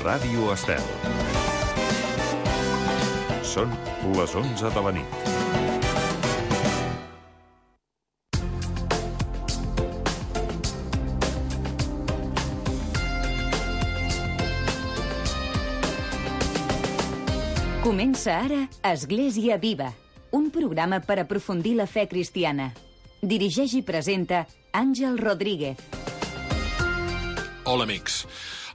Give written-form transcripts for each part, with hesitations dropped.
Ràdio Estel. Són les 11 de la nit. Comença ara Església Viva, un programa per aprofundir la fe cristiana. Dirigeix i presenta Àngel Rodríguez. Hola, amics.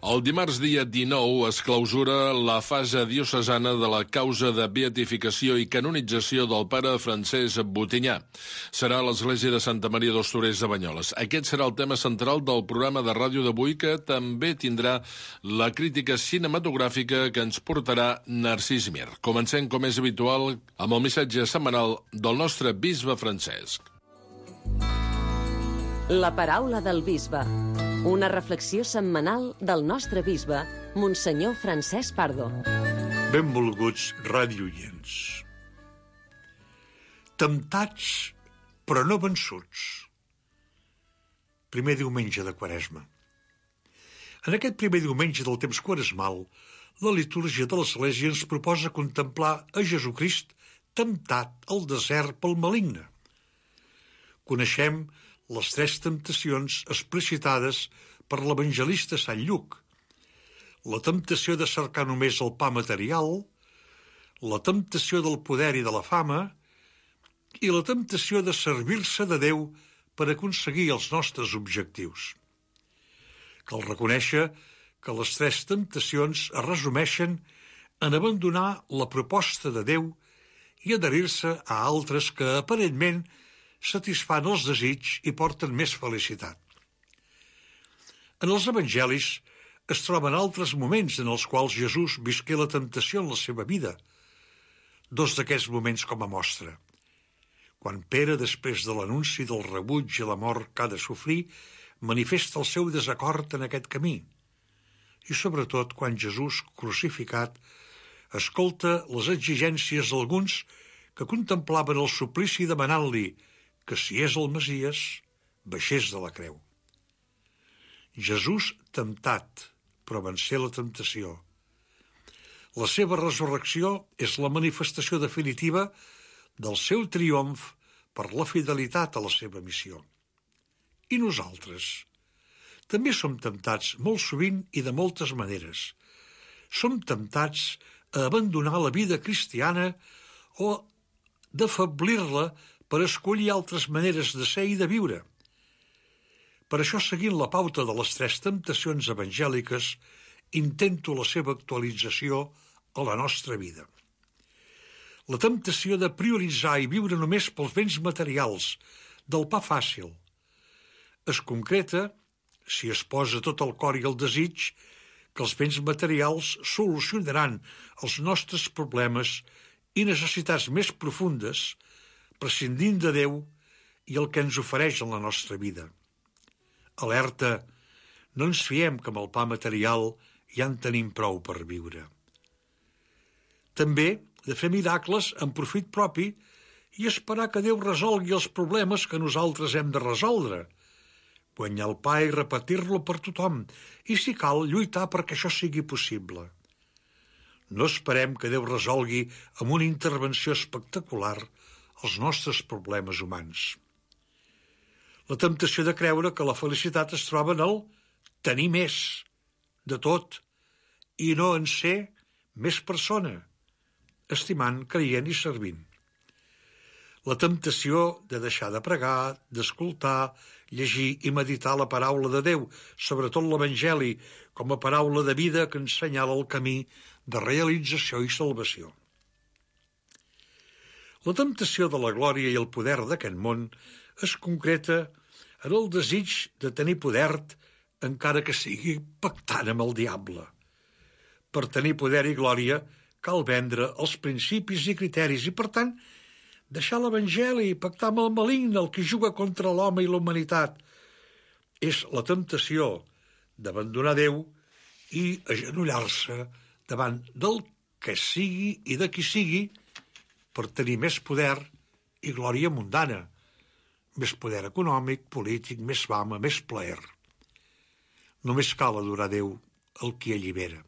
El dimarts dia 19 es clausura la fase diocesana de la causa de beatificació i canonització del pare Francesc Butinyà. Serà a l'església de Santa Maria dels Torers de Banyoles. Aquest serà el tema central del programa de ràdio d'avui, que també tindrà la crítica cinematogràfica que ens portarà Narcís Mir. Comencem, com és habitual, amb el missatge setmanal del nostre bisbe Francesc. La paraula del bisbe. Una reflexió setmanal del nostre bisbe, Monsenyor Francesc Pardo. Benvolguts radioients. Temptats, però no vençuts. Primer diumenge de Quaresma. En aquest primer diumenge del temps quaresmal, la litúrgia de l'Església ens proposa contemplar a Jesucrist temptat al desert pel maligne. Coneixem les tres temptacions explicitades per l'evangelista Sant Lluc: la temptació de cercar només el pa material, la temptació del poder i de la fama i la temptació de servir-se de Déu per aconseguir els nostres objectius. Cal reconèixer que les tres temptacions es resumeixen en abandonar la proposta de Déu i adherir-se a altres que aparentment satisfan els desitjos i porten més felicitat. En els evangelis es troben altres moments en els quals Jesús visqué la temptació en la seva vida. Dos d'aquests moments com a mostra. Quan Pere, després de l'anunci del rebuig i la mort que ha de sofrir, manifesta el seu desacord en aquest camí. I sobretot quan Jesús, crucificat, escolta les exigències d'alguns que contemplaven el suplici demanant-li que, si és el Messies, baixés de la creu. Jesús temptat, però vencé la temptació. La seva resurrecció és la manifestació definitiva del seu triomf per la fidelitat a la seva missió. I nosaltres? També som temptats molt sovint i de moltes maneres. Som temptats a abandonar la vida cristiana o d'afeblir-la per escollir altres maneres de ser i de viure. Per això, seguint la pauta de les tres temptacions evangèliques, intento la seva actualització a la nostra vida. La temptació de prioritzar i viure només pels béns materials, del pa fàcil. Es concreta, si es posa tot el cor i el desig, que els béns materials solucionaran els nostres problemes i necessitats més profundes, prescindint de Déu i el que ens ofereix en la nostra vida. Alerta, no ens fiem que amb el pa material ja en tenim prou per viure. També de fer miracles en profit propi i esperar que Déu resolgui els problemes que nosaltres hem de resoldre, guanyar el pa i repetir-lo per tothom, i si cal, lluitar perquè això sigui possible. No esperem que Déu resolgui amb una intervenció espectacular els nostres problemes humans. La temptació de creure que la felicitat es troba en el tenir més, de tot, i no en ser més persona, estimant, creient i servint. La temptació de deixar de pregar, d'escoltar, llegir i meditar la paraula de Déu, sobretot l'Evangeli, com a paraula de vida que ensenyala el camí de realització i salvació. La temptació de la glòria i el poder d'aquest món es concreta en el desig de tenir poder, encara que sigui pactant amb el diable. Per tenir poder i glòria cal vendre els principis i criteris i, per tant, deixar l'Evangeli i pactar amb el maligne, el que juga contra l'home i la humanitat. És la temptació d'abandonar Déu i agenollar-se davant del que sigui i de qui sigui per tenir més poder i glòria mundana, més poder econòmic, polític, més fama, més plaer. Només cal adorar Déu, el qui allibera.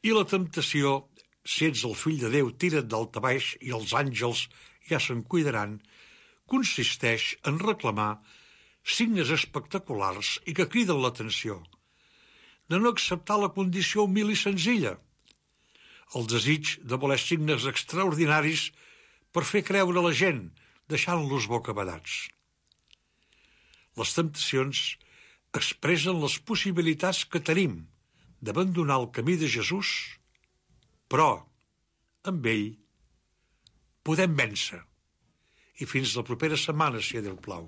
I la temptació, si ets el fill de Déu, tira't daltabaix i els àngels ja se'n cuidaran, consisteix en reclamar signes espectaculars i que criden l'atenció, de no acceptar la condició humil i senzilla, el desig de voler signes extraordinaris per fer creure la gent, deixant-los bocabadats. Les temptacions expressen les possibilitats que tenim d'abandonar el camí de Jesús, però amb ell podem vèncer. I fins la propera setmana, si Déu plau.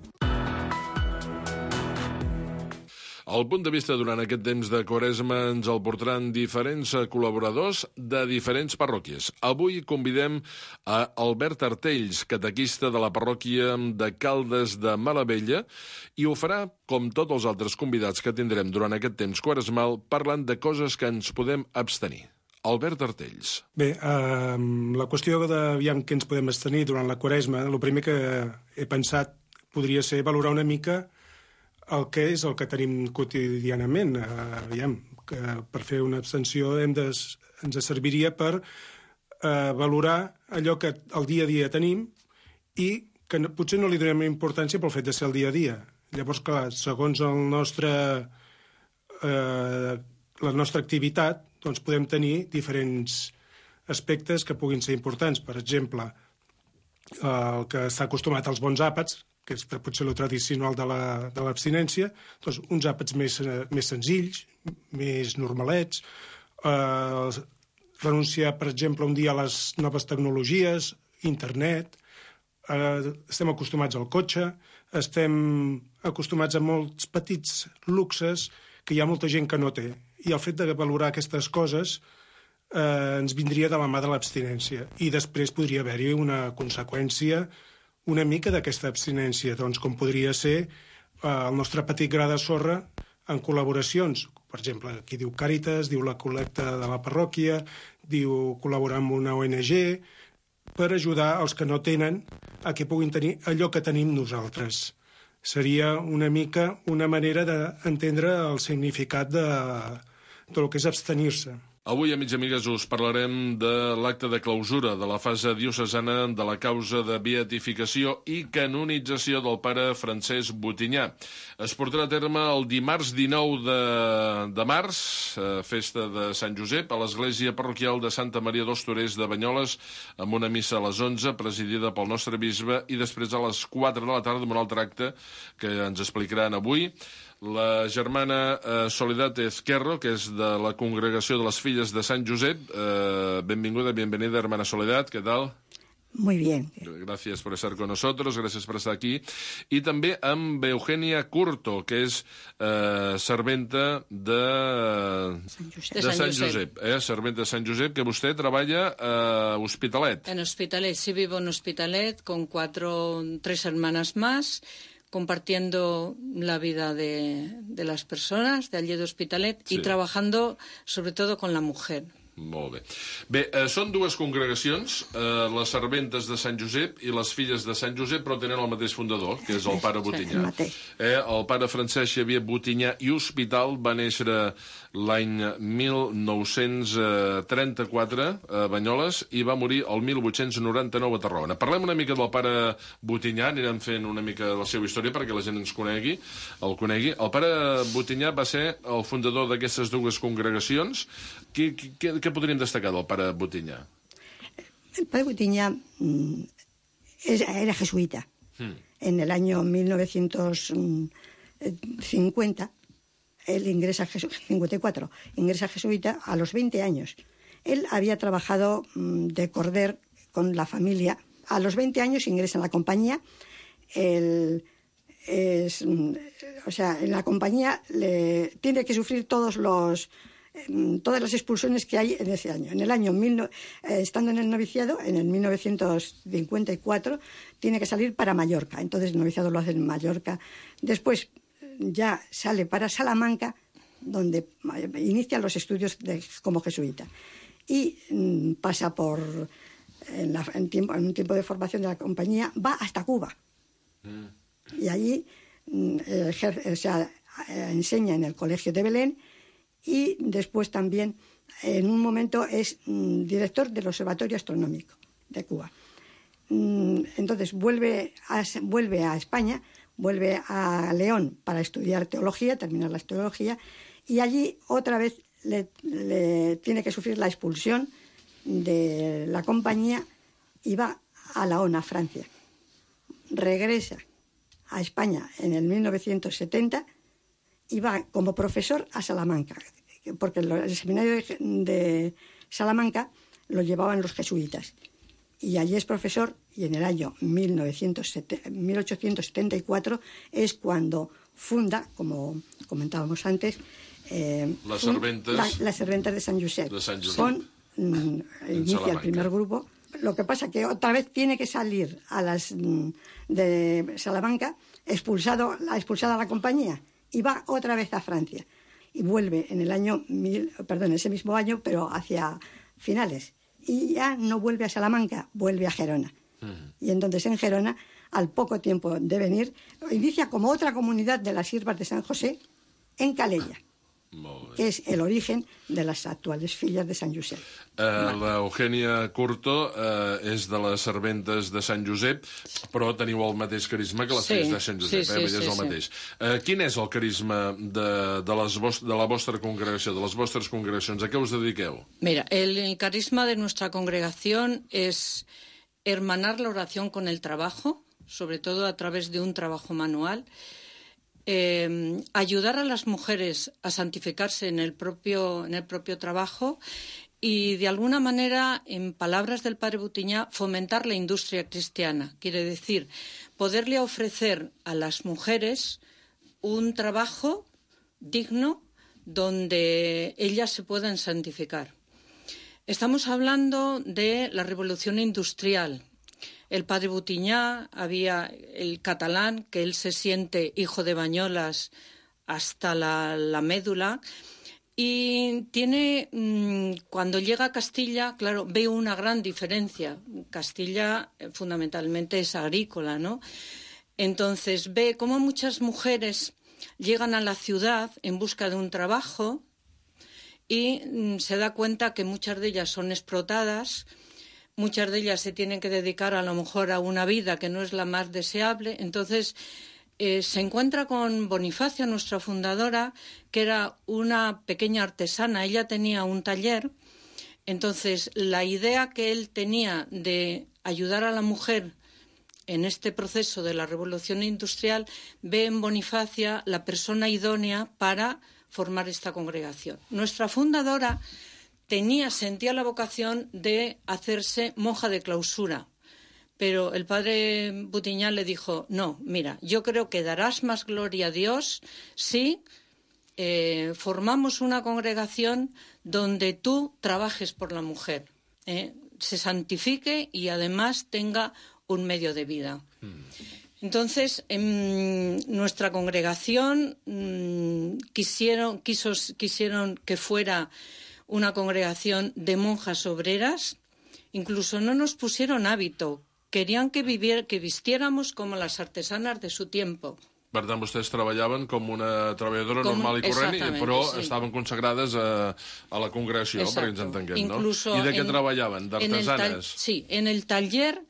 El punt de vista durant aquest temps de Quaresma ens el portaran diferents col·laboradors de diferents parròquies. Avui convidem a Albert Artells, catequista de la parròquia de Caldes de Malavella, i ho farà, com tots els altres convidats que tindrem durant aquest temps quaresmal, parlant de coses que ens podem abstenir. Albert Artells. Bé, la qüestió d'aviam què ens podem abstenir durant la Quaresma, el primer que he pensat podria ser valorar una mica el que és el que tenim quotidianament. Que per fer una abstenció ens serviria per valorar allò que el dia a dia tenim i que potser no li donem importància pel fet de ser el dia a dia. Llavors, clar, segons la nostra activitat, doncs podem tenir diferents aspectes que puguin ser importants. Per exemple, el que està acostumat als bons àpats, que és potser el tradicional de l'abstinència, doncs uns àpats més senzills, més normalets, renunciar, per exemple, un dia a les noves tecnologies, internet, estem acostumats al cotxe, estem acostumats a molts petits luxes que hi ha molta gent que no té. I el fet de valorar aquestes coses ens vindria de la mà de l'abstinència. I després podria haver-hi una conseqüència una mica d'aquesta abstinència, doncs, com podria ser el nostre petit gra de sorra en col·laboracions. Per exemple, aquí diu Càritas, diu la col·lecta de la parròquia, diu col·laborar amb una ONG, per ajudar els que no tenen a que puguin tenir allò que tenim nosaltres. Seria una mica una manera d'entendre el significat del que és abstenir-se. Avui, amics i amigues, us parlarem de l'acte de clausura de la fase diocesana de la causa de beatificació i canonització del pare Francesc Butinyà. Es portarà a terme el dimarts 19 de març, festa de Sant Josep, a l'església parroquial de Santa Maria dels Torers de Banyoles, amb una missa a les 11, presidida pel nostre bisbe, i després a les 4 de la tarda amb un altre acte que ens explicaran avui. La germana Soledad Ezquerro, que és de la Congregació de les Filles de Sant Josep. Bienvenida, hermana Soledad, ¿qué tal? Muy bien. Gracias por estar con nosotros, gracias por estar aquí. I també amb Eugenia Curto, que és serventa de Sant Josep. Serventa de Sant Josep, que vostè treballa a Hospitalet. En Hospitalet, sí, vivo en Hospitalet con 3 hermanas más, compartiendo la vida de las personas de allí de Hospitalet, sí, y trabajando sobre todo con la mujer. Molt bé. Bé, són dues congregacions, les serventes de Sant Josep i les filles de Sant Josep, però tenen el mateix fundador, que és el pare Butinyà. El pare Francesc Xavier Butinyà i Hospital va néixer l'any 1934 a Banyoles i va morir el 1899 a Tarragona. Parlem una mica del pare Butinyà, anirem fent una mica la seva història perquè la gent ens conegui. El pare Butinyà va ser el fundador d'aquestes dues congregacions. ¿Qué podríem destacar del pare Butinyà? El padre Butinyà era jesuita. En el año 1950, él ingresa a 54, ingresa a jesuita a los 20 años. Él había trabajado de corder con la familia. A los 20 años ingresa en la compañía. En la compañía tiene que sufrir todas las expulsiones que hay en ese año. En el año, estando en el noviciado, en el 1954, tiene que salir para Mallorca. Entonces el noviciado lo hace en Mallorca. Después ya sale para Salamanca, donde inicia los estudios como jesuita. Y pasa en un tiempo de formación de la compañía, va hasta Cuba. Y allí enseña en el Colegio de Belén. Y después también en un momento es director del Observatorio Astronómico de Cuba. Entonces vuelve a España, vuelve a León para estudiar teología, terminar la teología, y allí otra vez le tiene que sufrir la expulsión de la compañía y va a la ONA, Francia. Regresa a España en el 1970 y va como profesor a Salamanca, porque el seminario de Salamanca lo llevaban los jesuitas. Y allí es profesor, y en el año 1874 es cuando funda, como comentábamos antes, las serventes de San Josep. Inicia el primer grupo. Lo que pasa que otra vez tiene que salir de Salamanca, expulsada la compañía, y va otra vez a Francia. Y vuelve en ese mismo año, pero hacia finales. Y ya no vuelve a Salamanca, vuelve a Gerona. Y entonces en Gerona, al poco tiempo de venir, inicia como otra comunidad de las Siervas de San José en Calella, que és l'origen de les actuals filles de Sant Josep. L'Eugènia Curto és de les serventes de Sant Josep, però teniu el mateix carisma que les filles de Sant Josep, és el mateix. Quin és el carisma de la vostra congregació, de les vostres congregacions? A què us dediqueu? Mira, el carisma de nuestra congregación es hermanar la oración con el trabajo, sobre todo a través de un trabajo manual. Ayudar a las mujeres a santificarse en el propio trabajo y, de alguna manera, en palabras del padre Butiñá, fomentar la industria cristiana. Quiere decir, poderle ofrecer a las mujeres un trabajo digno donde ellas se puedan santificar. Estamos hablando de la revolución industrial. El padre Butiñá, había el catalán, que él se siente hijo de Bañolas hasta la médula, y tiene, cuando llega a Castilla, claro, ve una gran diferencia. Castilla fundamentalmente es agrícola, ¿no? Entonces ve cómo muchas mujeres llegan a la ciudad en busca de un trabajo y se da cuenta que muchas de ellas son explotadas. Muchas de ellas se tienen que dedicar a lo mejor a una vida que no es la más deseable. Entonces se encuentra con Bonifacia, nuestra fundadora, que era una pequeña artesana. Ella tenía un taller. Entonces la idea que él tenía de ayudar a la mujer en este proceso de la revolución industrial, ve en Bonifacia la persona idónea para formar esta congregación. Nuestra fundadora sentía la vocación de hacerse monja de clausura, pero el padre Butiñá le dijo, no, mira, yo creo que darás más gloria a Dios si formamos una congregación donde tú trabajes por la mujer, se santifique y además tenga un medio de vida. Entonces, en nuestra congregación quisieron que fuera una congregación de monjas obreras. Incluso no nos pusieron hábito, querían que vistiéramos como las artesanas de su tiempo. Per tant, vostès treballaven com una treballadora normal i corrent, però estaven consagrades a la congregació, perquè ens entenguem, incluso no? I de què treballaven? D'artesanes? Sí, en el taller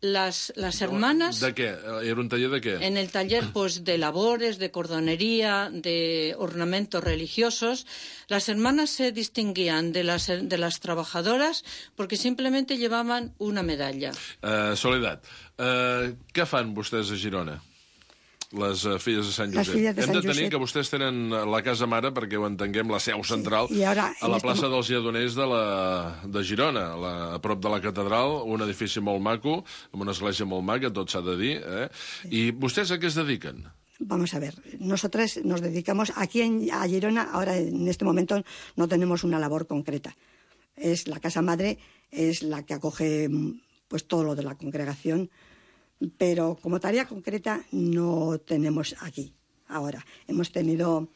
las hermanas... ¿De qué? ¿Era un taller de qué? En el taller, pues, de labores, de cordonería, de ornamentos religiosos. Las hermanas se distinguían de las trabajadoras porque simplemente llevaban una medalla. Soledad, què fan vostès a Girona? Les filles de Sant Josep. Hem de tenir que vostès tenen la casa mare, perquè ho entenguem, la seu central, a la plaça dels Lledoners de Girona, a prop de la catedral, un edifici molt maco, amb una església molt maca, tot s'ha de dir. I vostès a què es dediquen? Vamos a ver, nosotros nos dedicamos, aquí a Girona, ahora en este momento no tenemos una labor concreta. Es la casa madre, es la que acoge pues todo lo de la congregación, pero como tarea concreta no tenemos aquí ahora. Hemos tenido...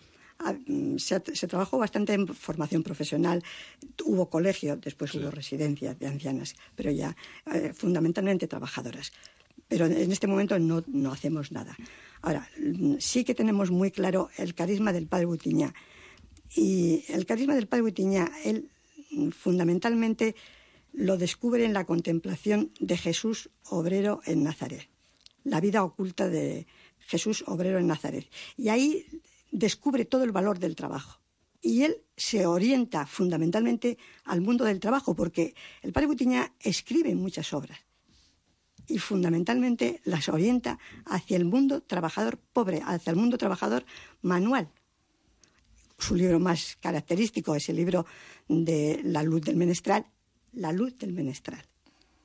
Se trabajó bastante en formación profesional, hubo colegio, después hubo residencias de ancianas, pero ya fundamentalmente trabajadoras. Pero en este momento no hacemos nada. Ahora, sí que tenemos muy claro el carisma del padre Butiñá. Y el carisma del padre Butiñá, él fundamentalmente lo descubre en la contemplación de Jesús obrero en Nazaret, la vida oculta de Jesús obrero en Nazaret. Y ahí descubre todo el valor del trabajo. Y él se orienta fundamentalmente al mundo del trabajo, porque el padre Butiñá escribe muchas obras y fundamentalmente las orienta hacia el mundo trabajador pobre, hacia el mundo trabajador manual. Su libro más característico es el libro de La luz del menestral,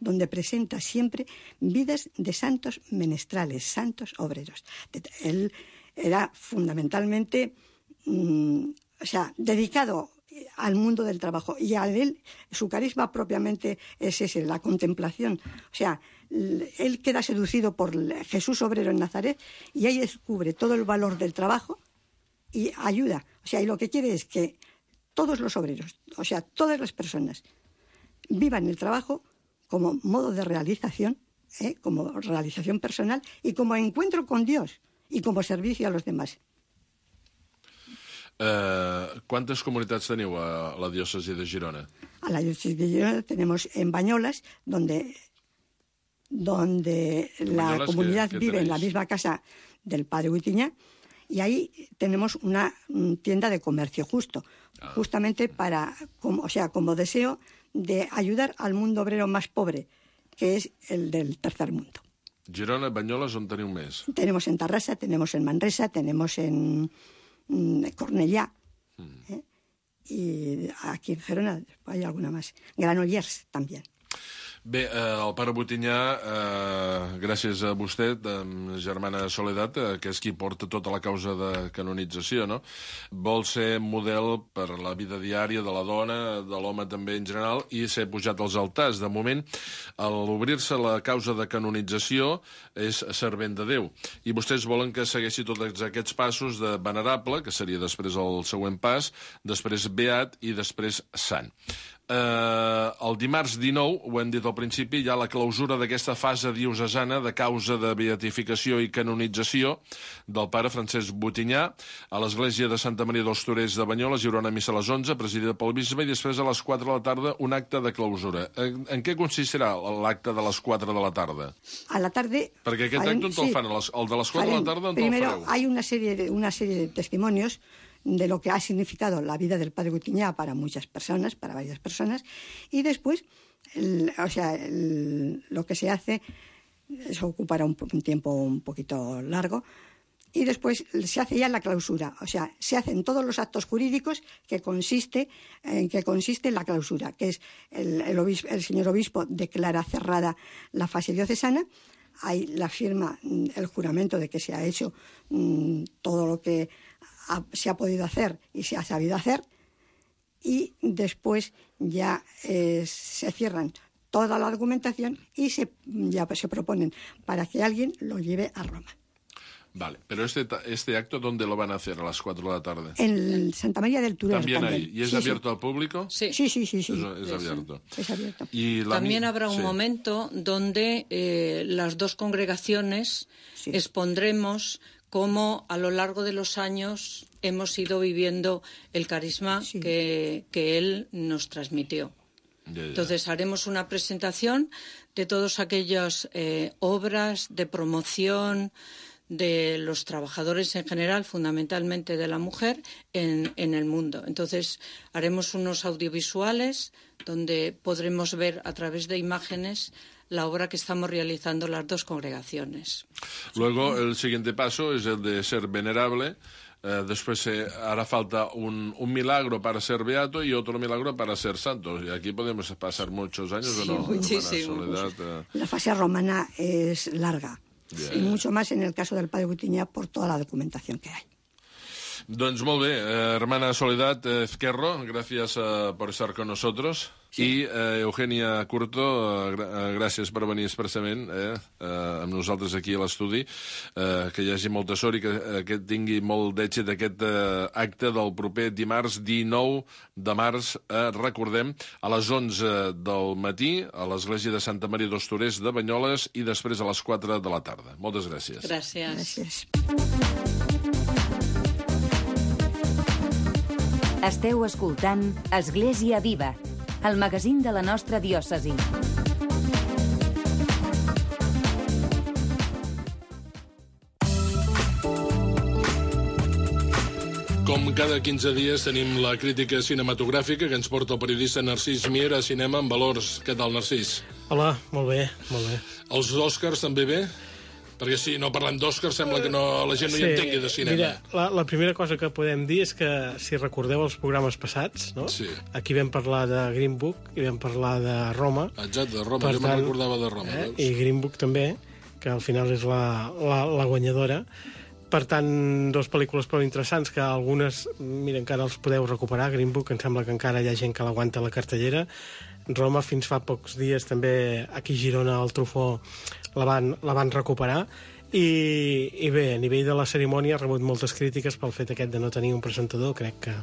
donde presenta siempre vidas de santos menestrales, santos obreros. Él era fundamentalmente dedicado al mundo del trabajo, y a él su carisma propiamente es ese, la contemplación. O sea, él queda seducido por Jesús obrero en Nazaret y ahí descubre todo el valor del trabajo y ayuda. O sea, y lo que quiere es que todos los obreros, o sea, todas las personas, vivan el trabajo como modo de realización, como realización personal y como encuentro con Dios y como servicio a los demás. ¿Cuántas comunitats teniu a la diòcesi de Girona? A la diócesis de Girona tenemos en Bañolas, donde la comunidad vive en la misma casa del padre Butiñá, y ahí tenemos una tienda de comercio justo, justamente como deseo de ayudar al mundo obrero más pobre, que es el del tercer mundo. Girona, Banyoles, on teniu més? Tenemos en Tarrasa, tenemos en Manresa, tenemos en Cornellá, y aquí en Gerona hay alguna más. Granollers también. Bé, el pare Butiñà, gràcies a vostè, germana Soledat, que és qui porta tota la causa de canonització, no? Vol ser model per la vida diària de la dona, de l'home també en general, i ser pujat als altars. De moment, a l'obrir-se la causa de canonització és servent de Déu. I vostès volen que segueixi tots aquests passos de venerable, que seria després el següent pas, després beat i després sant. El dimarts 19, ho hem dit al principi, hi ha la clausura d'aquesta fase diocesana de causa de beatificació i canonització del pare Francesc Butiñà. A l'església de Santa Maria dels Torers de Banyoles hi haurà una missa a les 11, presidida pel bisbe, i després a les 4 de la tarda un acte de clausura. En què consistirà l'acte de les 4 de la tarda? A la tarde... Perquè aquest acte on te'l fan? El de les 4 de la tarda on te'l fareu? Primero, hay una serie de testimonios de lo que ha significado la vida del padre Butiñá para muchas personas, para varias personas, y después, lo que se hace, eso ocupará un tiempo un poquito largo, y después se hace ya la clausura, o sea, se hacen todos los actos jurídicos que consiste la clausura, que es el señor obispo declara cerrada la fase diocesana, hay la firma, el juramento de que se ha hecho todo lo que se ha podido hacer y se ha sabido hacer, y después ya se cierran toda la argumentación y ya se proponen para que alguien lo lleve a Roma. Vale, pero este acto, ¿dónde lo van a hacer a las 4 de la tarde? En Santa María del Turer. ¿También ahí? ¿Y es abierto al público? Sí. Es abierto. Es abierto. Y también habrá un momento donde las dos congregaciones expondremos cómo a lo largo de los años hemos ido viviendo el carisma que él nos transmitió. Entonces haremos una presentación de todas aquellas obras de promoción de los trabajadores en general, fundamentalmente de la mujer, en el mundo. Entonces haremos unos audiovisuales donde podremos ver a través de imágenes la obra que estamos realizando las dos congregaciones. Luego, el siguiente paso es el de ser venerable. Después hará falta un milagro para ser beato y otro milagro para ser santo. Y aquí podemos pasar muchos años, ¿o no? Muchísimo. La fase romana es larga. Y mucho más en el caso del padre Butiñá por toda la documentación que hay. Doncs molt bé, hermana Soledad Ezquerro, gracias por estar con nosotros. Sí. I Eugènia Curto, gràcies per venir expressament amb nosaltres aquí a l'estudi, que hi hagi molta sort i que tingui molt d'èxit aquest acte del proper dimarts 19 de març, recordem, a les 11 del matí a l'església de Santa Maria dels Torers de Banyoles i després a les 4 de la tarda. Moltes gràcies. Gràcies. Esteu escoltant Església Viva, el magazín de la nostra diòcesi. Com cada 15 dies tenim la crítica cinematogràfica que ens porta el periodista Narcís Mier a Cinema en Valors. Què tal, Narcís? Hola, molt bé, molt bé. Els Oscars també bé? Perquè si no parlem d'Oscars sembla que la gent no hi entengui de cinema. Mira, la primera cosa que podem dir és que, si recordeu els programes passats, no? Sí. Aquí vam parlar de Green Book i vam parlar de Roma. Exacte, de Roma, jo me'n recordava de Roma. I Green Book també, que al final és la guanyadora. Per tant, dues pel·lícules prou interessants, que algunes, mira, encara els podeu recuperar. Green Book, em sembla que encara hi ha gent que l'aguanta a la cartellera. Roma, fins fa pocs dies, també aquí a Girona, al Truffaut, la van recuperar. I bé, a nivell de la cerimònia ha rebut moltes crítiques pel fet aquest de no tenir un presentador. Crec que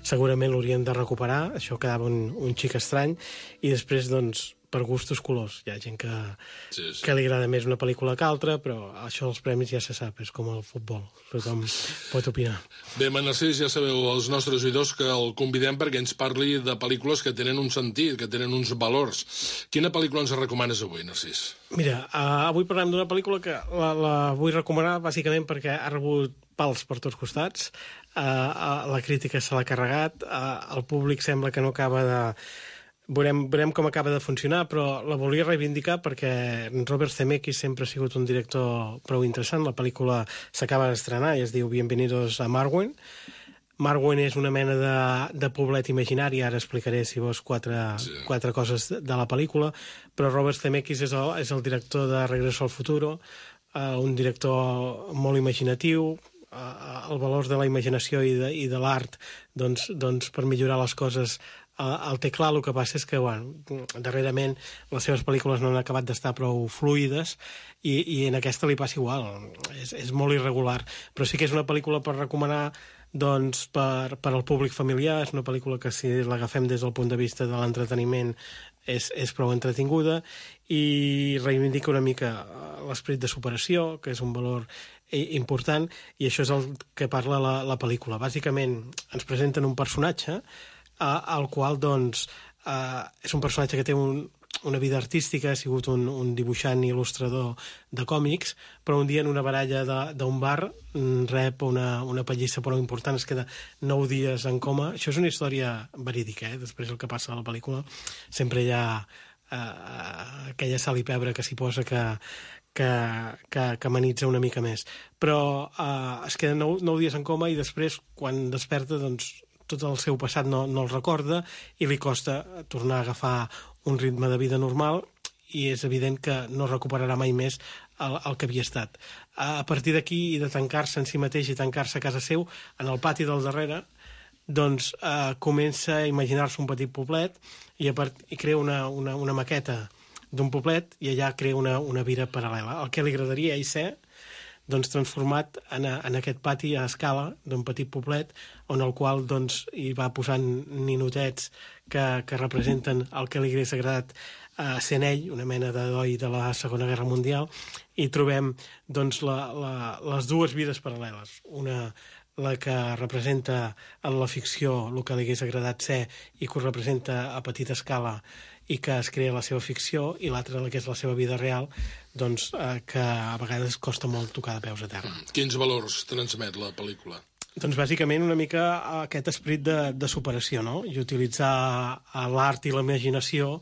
segurament l'haurien de recuperar. Això quedava un xic estrany. I després, doncs, per gustos colors. Hi ha gent que li agrada més una pel·lícula que altra, però això dels premis ja se sap, és com el futbol. Tothom pot opinar. Bé, Narcís, ja sabeu, els nostres oïdors, que el convidem perquè ens parli de pel·lícules que tenen un sentit, que tenen uns valors. Quina pel·lícula ens recomanes avui, Narcís? Mira, avui parlem d'una pel·lícula que la vull recomanar bàsicament perquè ha rebut pals per tots costats. La crítica se l'ha carregat, el públic sembla que no acaba de... Veurem com acaba de funcionar, però la volia reivindicar perquè Robert Zemeckis sempre ha sigut un director prou interessant. La pel·lícula s'acaba d'estrenar i es diu Bienvenidos a Marwen. Marwen és una mena de poblet imaginari, ara explicaré, si vols, quatre coses de la pel·lícula, però Robert Zemeckis és el director de Regreso al Futuro, un director molt imaginatiu. El valor de la imaginació i de l'art doncs per millorar les coses el té clar. El que passa és que darrerament les seves pel·lícules no han acabat d'estar prou fluides i en aquesta li passa igual, és molt irregular, però sí que és una pel·lícula per recomanar doncs per al públic familiar. És una pel·lícula que, si l'agafem des del punt de vista de l'entreteniment, és prou entretinguda i reivindica una mica l'esperit de superació, que és un valor important, i això és el que parla la pel·lícula. Bàsicament ens presenten un personatge al qual doncs és un personatge que té una vida artística, ha sigut un dibuixant i il·lustrador de còmics, però un dia en una baralla d'un bar rep una pallissa prou important, es queda 9 dies en coma. Això és una història verídica, després el que passa a la pel·lícula sempre hi ha aquella sal i pebre que s'hi posa que amenitza una mica més, però es queda 9 dies en coma i després, quan desperta, doncs tot el seu passat no el recorda i li costa tornar a agafar un ritme de vida normal, i és evident que no recuperarà mai més el que havia estat. A partir d'aquí, i de tancar-se en si mateix i tancar-se a casa seu, en el pati del darrere, doncs comença a imaginar-se un petit poblet i crea una maqueta d'un poblet, i allà crea una vida paral·lela. El que li agradaria a ell ser, doncs, transformat en aquest pati a escala d'un petit poblet, on el qual doncs hi va posant ninotets que representen el que li hagués agradat sent ell, una mena d'heroi de la Segona Guerra Mundial, i trobem doncs les dues vides paral·leles. Una, la que representa en la ficció el que li hagués agradat ser i que ho representa a petita escala i que es crea la seva ficció, i l'altra, la que és la seva vida real, doncs que a vegades costa molt tocar de peus a terra. Quins valors transmet la pel·lícula? Doncs bàsicament una mica aquest esperit de superació, no? I utilitzar l'art i la imaginació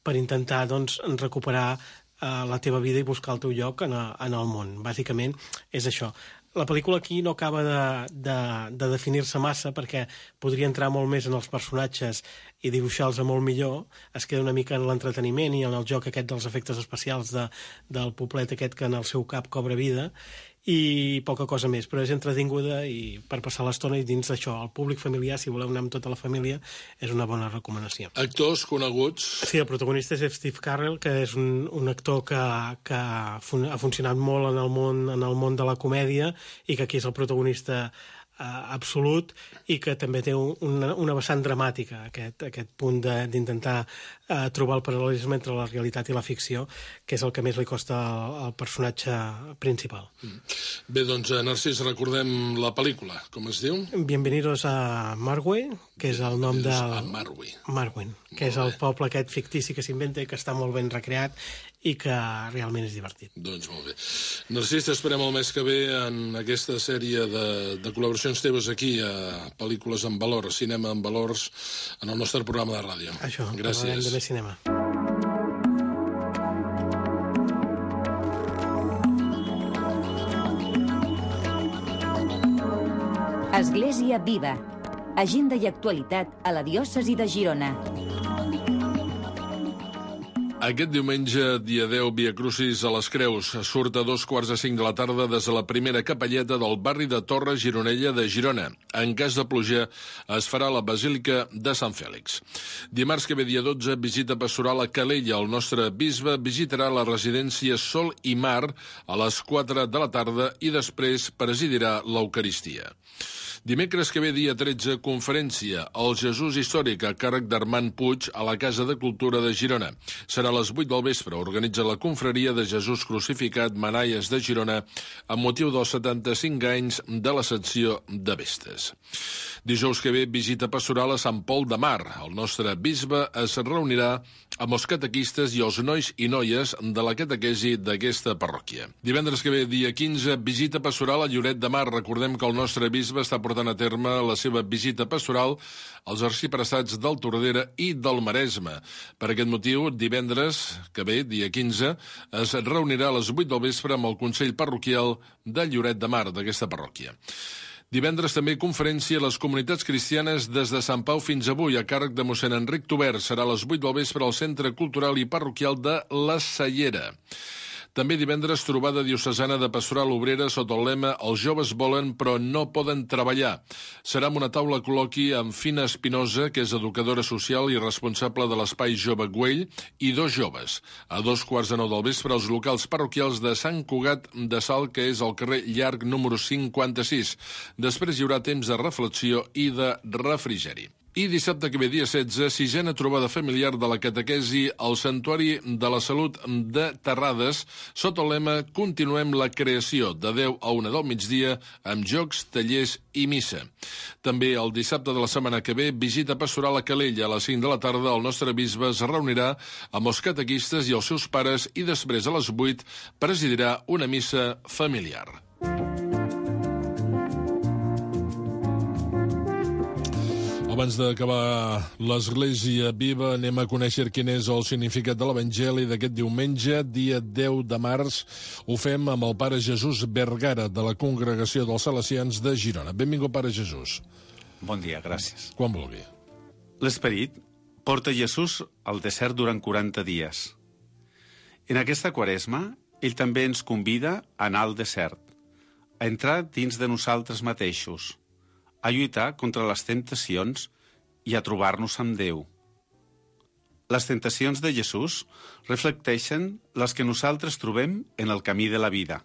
per intentar doncs recuperar la teva vida i buscar el teu lloc en el món. Bàsicament és això. La pel·lícula aquí no acaba de definir-se massa, perquè podria entrar molt més en els personatges i dibuixar-los molt millor. Es queda una mica en l'entreteniment i en el joc aquest dels efectes especials del poblet aquest que en el seu cap cobra vida, i poca cosa més, però és entretinguda i per passar l'estona, i dins d'això, el públic familiar, si voleu anar amb tota la família, és una bona recomanació. Actors coneguts? Sí, el protagonista és Steve Carell, que és un actor que ha funcionat molt en el món de la comèdia i que aquí és el protagonista absolut i que també té una vessant dramàtica, aquest punt d'intentar trobar el paral·lelisme entre la realitat i la ficció, que és el que més li costa al personatge principal. Bé, doncs, Narcís, recordem la pel·lícula. Com es diu? Bienvenidos a Marway, que és el nom del... A Marway. Marway, que és el poble aquest fictici que s'inventa i que està molt ben recreat i que realment és divertit. Doncs molt bé. Narcís, t'esperem el mes que ve en aquesta sèrie de col·laboracions teves aquí a Pel·lícules en Valor, Cinema en Valors, en el nostre programa de ràdio. Això, gràcies. Parlarem de més cinema. Església Viva. Agenda i actualitat a la diòcesi de Girona. Aquest diumenge, dia 10, Via Crucis a les Creus. Surt a 2:45 de la tarda des de la primera capelleta del barri de Torre Gironella de Girona. En cas de pluja, es farà a la Basílica de Sant Fèlix. Dimarts que ve, dia 12, visita pastoral a Calella. El nostre bisbe visitarà la residència Sol i Mar a les 4 de la tarda i després presidirà l'Eucaristia. Dimecres que ve, dia 13, conferència El Jesús històric a càrrec d'Armand Puig a la Casa de Cultura de Girona. Serà a les 8 del vespre. Organitza la confraria de Jesús crucificat Manaies de Girona amb motiu dels 75 anys de l'Ascensió de Vestes. Dijous que ve, visita pastoral a Sant Pol de Mar. El nostre bisbe es reunirà amb els catequistes i els nois i noies de la catequesi d'aquesta parròquia. Divendres que ve, dia 15, visita pastoral a Lloret de Mar. Recordem que el nostre bisbe està portant a terme la seva visita pastoral als arxiprestats del Tordera i del Maresme. Per aquest motiu, divendres que ve, dia 15, es reunirà a les 8 del vespre amb el Consell Parroquial de Lloret de Mar, d'aquesta parròquia. Divendres també conferència a les comunitats cristianes des de Sant Pau fins avui a càrrec de mossèn Enric Tobert. Serà a les 8 del vespre al Centre Cultural i Parroquial de la Cellera. També divendres trobada diocesana de pastoral obrera sota el lema Els joves volen però no poden treballar. Serà amb una taula col·loqui amb Fina Espinosa, que és educadora social i responsable de l'Espai Jove Güell, i 2 joves. A 2:15 del vespre als locals parroquials de Sant Cugat de Salt, que és al carrer Llarg número 56. Després hi haurà temps de reflexió i de refrigeri. I dissabte que ve, dia 16, 6a trobada familiar de la catequesi al Santuari de la Salut de Terrades, sota el lema Continuem la creació, de 10 a 1 del migdia, amb jocs, tallers i missa. També el dissabte de la setmana que ve, visita pastoral a Calella. A les 5 de la tarda, el nostre bisbe es reunirà amb els catequistes i els seus pares i després, a les 8, presidirà una missa familiar. Abans d'acabar l'Església Viva, anem a conèixer quin és el significat de l'Evangeli d'aquest diumenge, dia 10 de març. Ho fem amb el Pare Jesús Vergara, de la Congregació dels Salesians de Girona. Benvingut, Pare Jesús. Bon dia, gràcies. Quan vulgui. L'Esperit porta Jesús al desert durant 40 dies. En aquesta Quaresma, ell també ens convida a anar al desert, a entrar dins de nosaltres mateixos, a lluitar contra les temptacions i a trobar-nos amb Déu. Les tentacions de Jesús reflecteixen les que nosaltres trobem en el camí de la vida.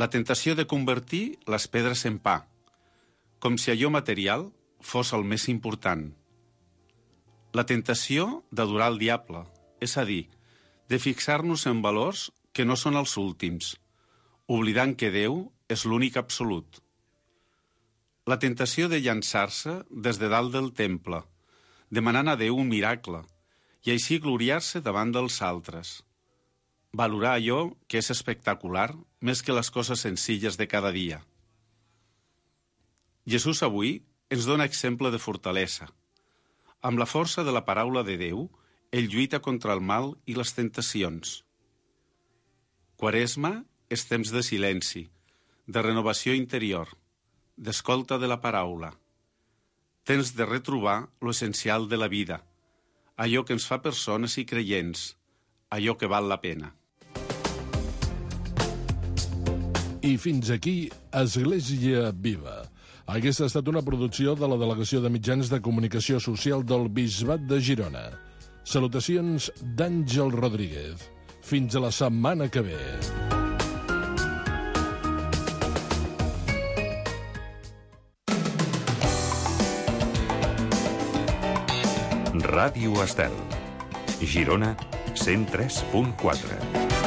La tentació de convertir les pedres en pa, com si allò material fos el més important. La tentació d'adorar el diable, és a dir, de fixar-nos en valors que no són els últims, oblidant que Déu és l'únic absolut. La tentació de llançar-se des de dalt del temple, demanant a Déu un miracle, i així gloriar-se davant dels altres. Valorar allò que és espectacular més que les coses senzilles de cada dia. Jesús avui ens dona exemple de fortalesa. Amb la força de la paraula de Déu, ell lluita contra el mal i les tentacions. Quaresma és temps de silenci, de renovació interior, d'escolta de la paraula. Temps de retrobar l'essencial de la vida, allò que ens fa persones i creients, allò que val la pena. I fins aquí, Església Viva. Aquesta ha estat una producció de la Delegació de Mitjans de Comunicació Social del Bisbat de Girona. Salutacions d'Àngel Rodríguez. Fins a la setmana que ve. Ràdio Estel. Girona, 103.4.